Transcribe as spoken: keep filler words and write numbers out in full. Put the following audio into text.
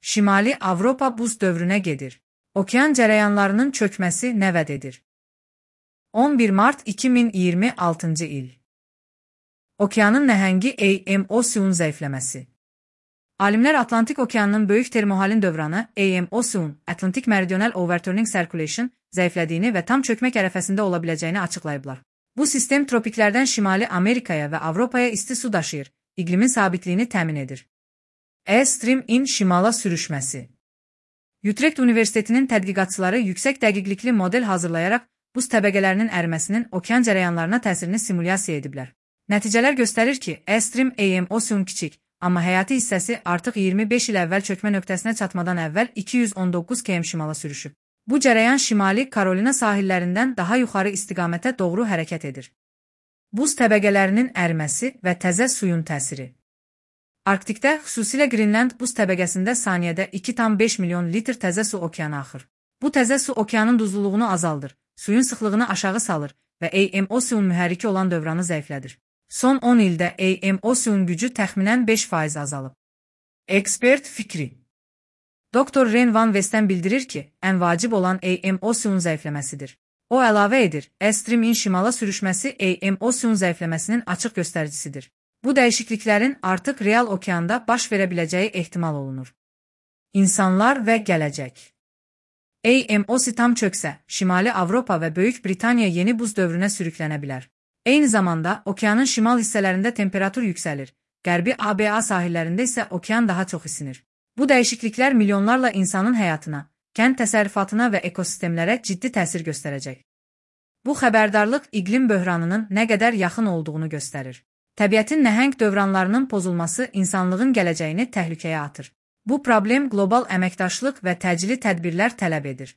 Şimali Avropa buz dövrünə gedir. Okean cərəyanlarının çökməsi nə vəd edir? on bir mart iki min iyirmi altıncı il. Okeanın nəhəngi A M Ocean zəifləməsi. Alimlər Atlantik Okeanının böyük termohalin dövranı A M Ocean, Atlantic Meridional Overturning Circulation zəiflədiyini və tam çökmək ərəfəsində ola biləcəyini açıqlayıblar. Bu sistem tropiklərdən Şimali Amerikaya və Avropaya isti su daşıyır, iqlimin sabitliyini təmin edir. E Stream-in şimala sürüşməsi. Utrecht Universitetinin tədqiqatçıları yüksək dəqiqlikli model hazırlayaraq buz təbəqələrinin əriməsinin okean cərəyanlarına təsirini simulyasiya ediblər. Nəticələr göstərir ki, E Stream A M Ocean kiçik, amma həyati hissəsi artıq iyirmi beş il əvvəl çökmə nöqtəsinə çatmadan əvvəl iki yüz on doqquz kilometr şimala sürüşüb. Bu cərəyan Şimali Karolina sahillərindən daha yuxarı istiqamətə doğru hərəkət edir. Buz təbəqələrinin əriməsi və təzə suyun təsiri. Arktikdə, xüsusilə Qrinland buz təbəqəsində saniyədə iki tam beş milyon litr təzə su okeana axır. Bu təzə su okeanın duzluluğunu azaldır, suyun sıxlığını aşağı salır və A M Ocean mühərriki olan dövranı zəiflədir. Son on ildə A M Ocean gücü təxminən beş faiz azalıb. Ekspert fikri. Doktor Ren Van Vesten bildirir ki, ən vacib olan A M Ocean zəifləməsidir. O əlavə edir, E Stream-in şimala sürüşməsi A M Ocean zəifləməsinin açıq göstəricisidir. Bu dəyişikliklərin artıq real okeanda baş verə biləcəyi ehtimal olunur. İnsanlar və gələcək. A M Ocean tam çöksə, Şimali Avropa və Böyük Britaniya yeni buz dövrünə sürüklənə bilər. Eyni zamanda, okeanın şimal hissələrində temperatur yüksəlir, qərbi A B A sahillərində isə okean daha çox isinir. Bu dəyişikliklər milyonlarla insanın həyatına, kənd təsərrüfatına və ekosistemlərə ciddi təsir göstərəcək. Bu xəbərdarlıq iqlim böhranının nə qədər yaxın olduğunu göstərir. Təbiətin nəhəng dövranlarının pozulması insanlığın gələcəyini təhlükəyə atır. Bu problem qlobal əməkdaşlıq və təcili tədbirlər tələb edir.